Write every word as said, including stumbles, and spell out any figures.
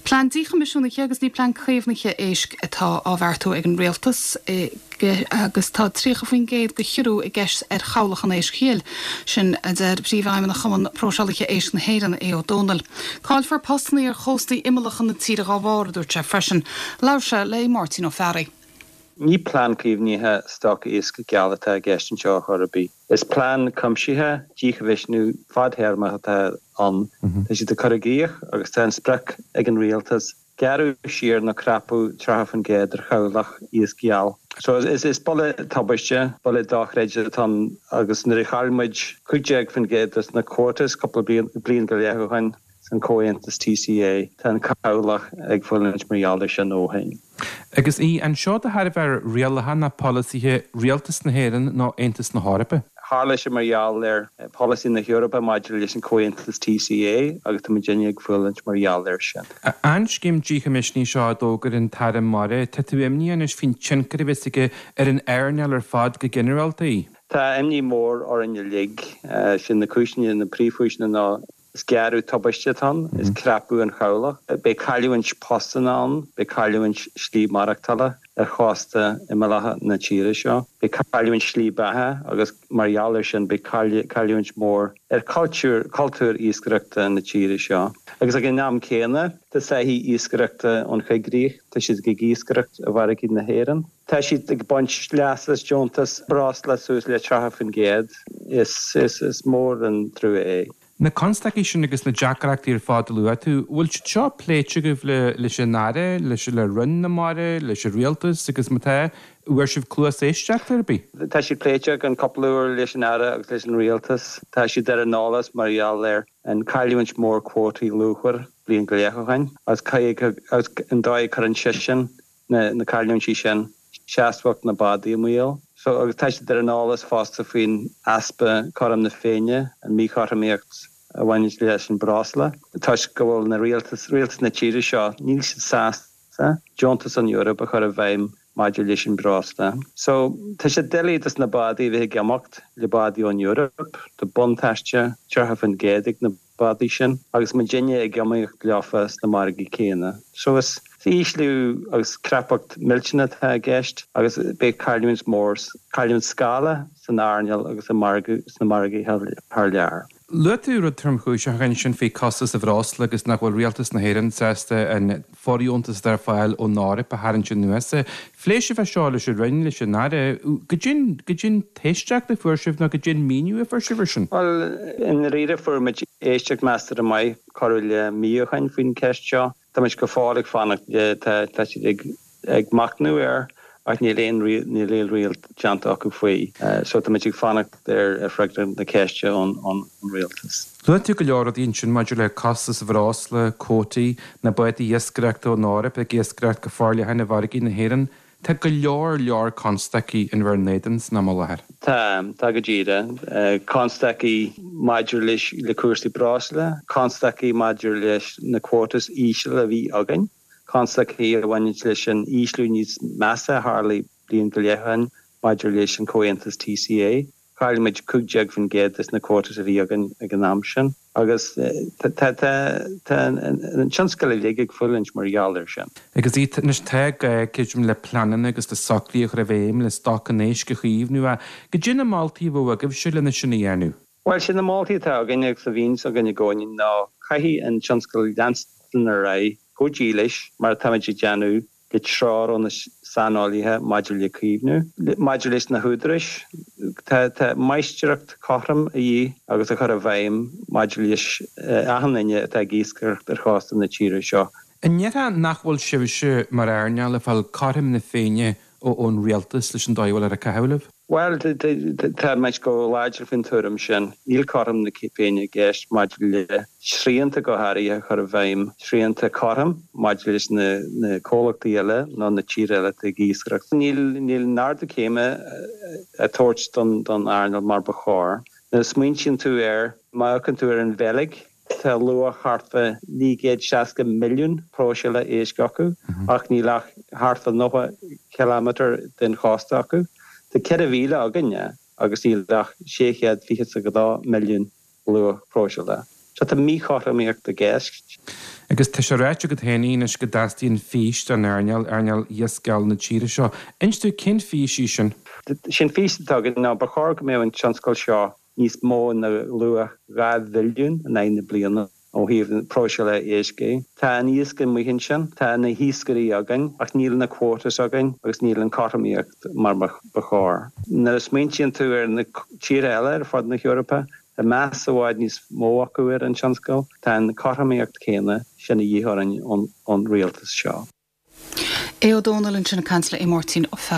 Plean díchoimisiúnaithe agus ní plean caomhnaithe éisc atá á bheartú ag an rialtas e, agus tá tríocha faoin gcéad de chiorrú i gceist ar chabhlach an éisc ghil sin a deir príomhfheidhmeannach Chumann Próiseálaithe Éisc na hÉireann Aodh Ó Dónaill. Caillfear postanna ar chóstaí imeallacha na tíre dá bharr dúirt sé freisin, labhair sé le Máirtín Ó Fearraigh. Ní plean caomhnaithe stoc éisc geal atá i gceist anseo chor ar bith. Is plean cuimsitheach díchoimisiúnú fadtéarmach atá ann. Tá siad ag cur i gcrích agus tá an sprioc ag an rialtas gearradh siar nó crapadh tríocha faoin gcéad ar chabhlach iasc geal. So is is buille tubaiste buille dochreidte atá ann agus nuair a chaill muid cúig déag faoin gcéad de na quotas cúpla bliain go leith ó shin san comhaontas TCA tá an cabhlach ag fulaingt mar gheall air sin ó shin. Agus í anseo de thairbhe rialacha nó polasaithe rialtas na hÉireann nó Aontas na hEorpa. Tharla sé mar gheall ar polasaí na hEorpa maidir leis an comhaontas TCA agus tá muidinne ag fulaingt mar gheall air sin. An scéim díchoimisiúnaithe seo a d'fhógair an tAire Mara tá tú imní anois faoin tionchar a bheas aige ar an earnáil ar fad go ginearálta. Tá imní mór orainn uilig sin na cúiseanna na príomhchúiseanna ná is gearradh tubaiste atá ann, is crapadh an chabhlach, beidh cailliúint postanna ann, beidh cailliúint slí maireachtála ar chósta imeallacha na tíre seo, beidh cailliúint slí beatha agus mar gheall air sin beidh cailliúint mór ar cultúr cultúr iascaireachta na tíre seo. Agus ag an am céanna tá soithí iascaireachta ón choigríoch, tá siad ag iascaireacht i bhfarraigí na hÉireann. Tá siad ag baint leas as deontas breosla suas le tríocha faoin gcéad is is is mór an trua é. Na constaicí sin agus na deacrachtaí ar fad a luaigh tú, bhfuil siad seo pléite agaibh le leis an Aire, leis le Roinn na Mara, leis an rialtas agus má tá bhfuair sibh cluas éisteachta ar bith? Tá siad pléite an cúpla uair leis an Aire agus leis an rialtas. Tá siad ar an eolas mar gheall ar an cailliúint mór cuótaí luachmhar bliain go leith ó shin agus agus an dóigh a chuireann sé sin na na cailliúintí sin seasmhacht na bádaí i mbaol. So agus tá siad ar an eolas fosta faoin easpa cothrom na Féinne an míchothromaíocht a bhaineann leis an breosla. Toisc go bhfuil na rialtas rialtas na tíre seo níl siad sásta deontas an Eoraip a chur i bhfeidhm maidir leis an breosla. So tá sé doiligh dos na bádaí bheith ag iomaíocht le bádaí ón Eoraip, Tá buntáiste tríocha faoin gcéad ag na bádaí sin agus muidinne ag iomaíocht leofa sna margaí céanna. So is ísliú agus crapadh millteanach atá i gceist agus beidh cailliúint mór cailliúint scála san earnáil agus i margadh sna margaí thar lear. Luaigh tú rud tromchúiseach ansin faoi costas an bhreosla agus nach bhfuil rialtas na hÉireann sásta an fóirdheontas atá ar fáil ón Eoraip a tharraingt anuas. Phléigh sibh é seo leis an Roinn leis an Aire, goidé goidé an éisteacht a fuair sibh nó goidé an míniú a fuair sibh air sin. Well i ndáiríre fuair muid éisteacht measartha maith corradh le mí ó shin faoin cheist seo. Tá muid go fóill ag fanacht tá siad ag ag machnamh air ach níl aon níl aon riail déanta acu faoi. So tá muid ag fanacht ar ar freagra na ceiste ón an rialtas. Luaigh tú go leor rudaí ansin maidir le costas an bhreosla, cuótaí, na bádaí iascaireachta ón Eoraip ag iascaireacht go forleathan i bhfarraigí na hÉireann. Tá go leor leor constaicí in bhur n-éadan san am i láthair. Tá tá go díreach. Constaicí maidir leis le cúrsaí breosla, constaicí maidir leis na quotas íseal a bhí againn, constaicí a bhaineann leis an ísliú níos measa a tharla bliain go leith ó shin maidir leis an comhaontas TCA. Chaill muid cúig déag faoin gcéad de na quotas a bhí againn ag an am sin. agus tá an tionscal uilig ag fulaingt mar gheall air sin. Agus anois tá gá creidim le pleananna agus le socruithe a chur i bhfeidhm le stoc an éisc a chaomhnú a goidé na moltaí a bheadh agaibhse lena sin a dhéanamh. Well sin na moltaí atá againn agus a bhíonns againn i gcónaí ná caithfidh an tionscal leanstan ar aghaidh go dílis mar atáimid ag déanamh le treoir ó na saineolaithe maidir le caomhnú. Maidir leis na húdaráis, tá tá máistreacht cothrom a dhíth agus a chur i bhfeidhm maidir leis achan duine atá ag iascaireacht ar chósta na tíre seo. An ndéarfá nach bhfuil sibhse mar earnáil ag fáil cothrom na Féinne ón rialtas leis an dóigh a bhfuil ag caitheamh libh? Well tá muid go láidir faoin tuairim sin. Níl cothrom na Féinne i gceist maidir le srianta go háirithe a chur i bhfeidhm, srianta cothrom maidir leis na na comhlachtaí eile nó na tíortha eile atá ag iascaireacht. Níl níl an ardú céime a tabhairt don don earnáil mar ba chóir. Nuair a smaointíonn tú air, má amharcann tú ar an Bheilg, tá luach thart fá naoi gcéad seasca milliún próiseála éisc acu ach níl ach thart fá nócha ciliméadar den chósta acu. Tá ceithre mhíle againne agus níl ach sé chéad fiche is a dó milliún luach próiseála. So tá míchothromaíocht i gceist. Agus tá sé ráite agat féin anois go dteastaíonn fís don earnáil, earnáil iascaigh na tíre seo. Inis dúinn cén fís í sin? Sin fís atá againn ná ba chóir go mbeadh an tionscal seo níos mó ná luach dhá bhilliún in aghaidh na bliana ó thaobh na próiseála éisc é. Tá an iasc amuigh ansin, tá na hiascairí againn ach níl na quotas againn agus níl an chothromaíocht mar ba chóir. Nuair a smaointíonn tú ar na tíortha eile ar fud na hEorpa, tá meas i bhfad níos mó acu ar an tionscal, tá an chothromaíocht chéanna sin a dhíth orainn ón rialtas seo. Aodh Ó Dónaill ansin ag caint le Máirtín Ó Fearraigh.